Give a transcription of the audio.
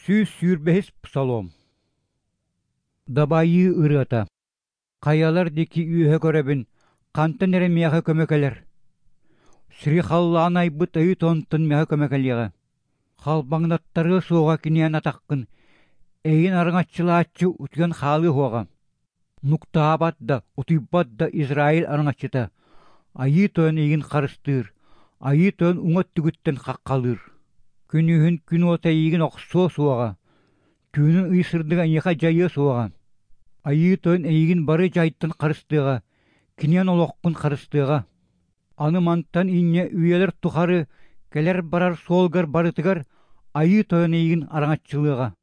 125-ис Псалом. Дабайыы ырыата. Хайалар диэки үөһэ көрөбүн, хантан эрэ миэхэ көмө кэлэр. Сири халлаан айбыт Айыы Тойонтон миэхэ көмө кэлиэҕэ. Халбаҥнаттарыа суоҕа киниэн атаххын, эйигин араҥаччылааччы утуйан хаалыа суоҕа. Нуктаабат да, утуйбат да Израиль араҥаччыта, Айыы Тойон эйигин харыстыыр, Айыы Тойон уҥа өттүгүттэн хаххалыыр. Күнүһүн күн уота эйигин охсуо суоҕа, түүнүн ый сырдыга эйиэхэ дьайыа суоҕа. Айыы Тойон эйигин бары дьайтан харыстыаҕа, киниэн олоххун харыстыаҕа. Аны мантан инньэ үйэлэр тухары кэлэр-барар суолгар барытыгар Айыы Тойон эйигин араҥаччылыаҕа.